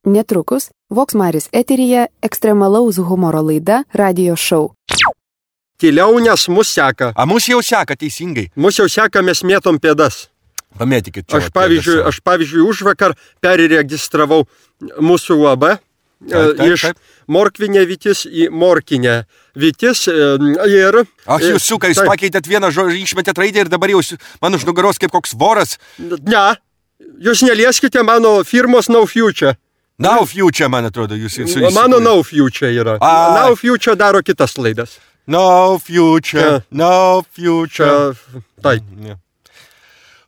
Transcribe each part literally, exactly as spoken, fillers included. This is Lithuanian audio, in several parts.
Netrukus Vox Maris eteryje ekstremalaus humoro laida Radio Show. Tyliau, nes mus seka. A mus jau seka, teisingai. Mus jau seka, mes mėtom pėdas. Pamėtikit čia. Aš pavyzdžiui, aš pavyzdžiui užvakar perregistravau mūsų U A B Taip, taip, iš taip. Morkvinė Vytis į Morkinę Vytis ir... Ach, jūs suka, jūs pakeitėt vieną žodį, išmetėt raidę ir dabar jau man už nugaros kaip koks voras. Ne, jūs nelieskite mano firmos No Future. Now Future, man atrodo, jūs... jūs, jūs mano No Future yra. A. No Future daro kitas laidas. No Future, no Future. Čia, taip. Ne.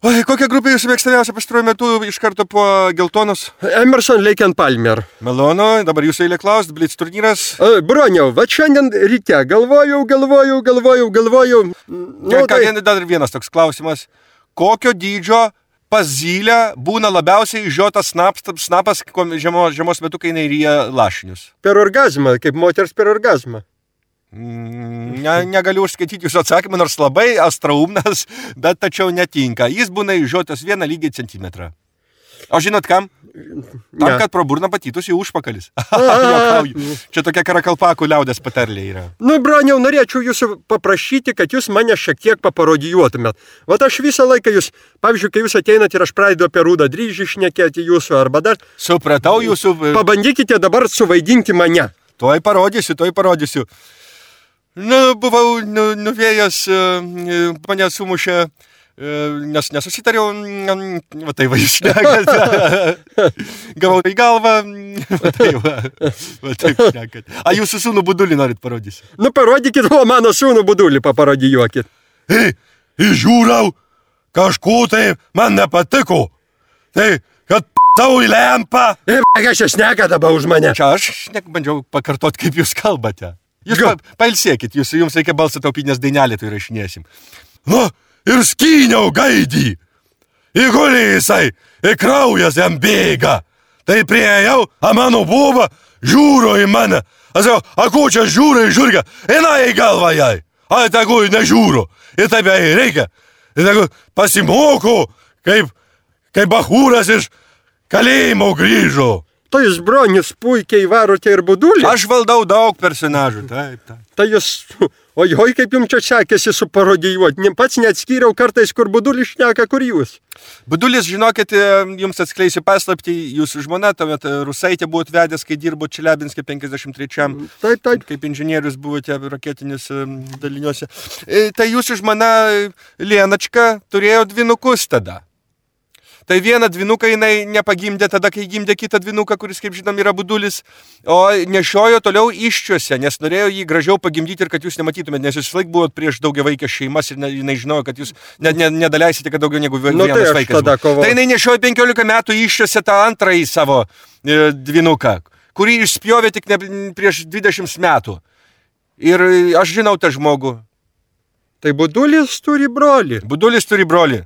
Oi, kokia grupė jūsų mėgstamiausia pastaruoju metu iš karto po geltonos? Emerson, Lake and Palmer. Malonu, dabar jūsų eilė klaust, Blitz turnyras. E, Broniau, va šiandien ryte galvojau, galvojau, galvojau, galvojau. Nu, Ką, tai... Dar vienas toks klausimas. Kokio dydžio pas zylę būna labiausiai žiotas snapas, snapas žiemos, žiemos metu, kai jinai ryja lašinius? Per orgazmą, kaip moters per orgazmą. Ne, negaliu užskaityti jūsų atsakymą, nors labai astraumnas, bet tačiau netinka. Jis būna išžiotas vieną lygiai centimetrą. O žinot kam? Tam, Ne. kad pro burną patytųsi užpakalis. Juokauju. Čia tokia karakalpakų liaudės patarlė yra. Nu, Broniau, norėčiau jūsų paprašyti, kad jūs mane šiek tiek paparodijuotumėt. Vat aš visą laiką jūs, pavyzdžiui, kai jūs ateinat ir aš pradedu apie rūdą dryžį šnekėti jūsų arba dar, Supratau jūsų... pabandykite dabar suvaidinti mane. Tuoj parodysiu, tuoj parodysiu. Nu, buvau nu, nuvėjęs, e, e, mane sumušė, e, nes nesusitariau, mm, va tai va jūs šnekat. Gavau į galvą, va tai va, va taip šnekat. A jūsų sūnų Budulį norit parodysiu? Nu, parodykit, o mano sūnų Budulį paparodijuokit. Ei, išžiūrau, kažko tai man nepatiko. Tai, kad tau į lempą. E, kas čia šneka dabar už mane? Čia aš nek bandžiau pakartot, kaip jūs kalbate. Jūs Ga- pa, pailsėkit, jūs, jums reikia balsą taupyti, nes dainelį tai rašinėsim. Nu, ir skyniau gaidį. Įgulė jisai, ir kraujas jam bėga. Tai priejau, a mano buba žiūro į mane. Aš jau, a ko čia žiūro į žiūrgą? Eina į galvą jai. A, tegu nežiūro. Ir taip jai reikia. Ir tegu pasimoko, kaip, kaip bachūras iš kalėjimo grįžo. Tai jūs, Bronius, puikiai varote ir Budulį. Aš valdau daug personažų, taip, taip. Tai jūs, ojoj, kaip jums čia sekėsi suparodijuoti. Ne- Pats neatskyriau kartais, kur Budulis šneka, kur jūs. Budulis, žinokit, jums atskleisiu paslaptį, jūsų žmona, tuomet Rusaitė buvot vedęs, kai dirbo Čeliabinske penkiasdešimt trečiam. Taip, taip. Kaip inžinierius buvote raketinis em, daliniuose. E, Tai jūsų žmona Lienačka turėjo dvinukus tada. Tai vieną dvinuką jinai nepagimdė tada, kai gimdė kitą dvinuką, kuris, kaip žinom, yra Budulis, o nešiojo toliau iščiuose, nes norėjo jį gražiau pagimdyti ir kad jūs nematytumėt, nes jūs laik buvot prieš daugiavaikės šeimas ir ne, jinai žinojo, kad jūs ne, ne, nedaleisite, kad daugiau negu Nu, vienas tai aš vaikas. tada buvo. kovojau. Tai jinai nešiojo penkiolika metų iščiuose tą antrąjį savo e, dvinuką, kurį išspjovė tik ne, prieš dvidešimt metų. Ir e, aš žinau tą žmogų. Tai Budulis turi brolį. Budulis turi brolį.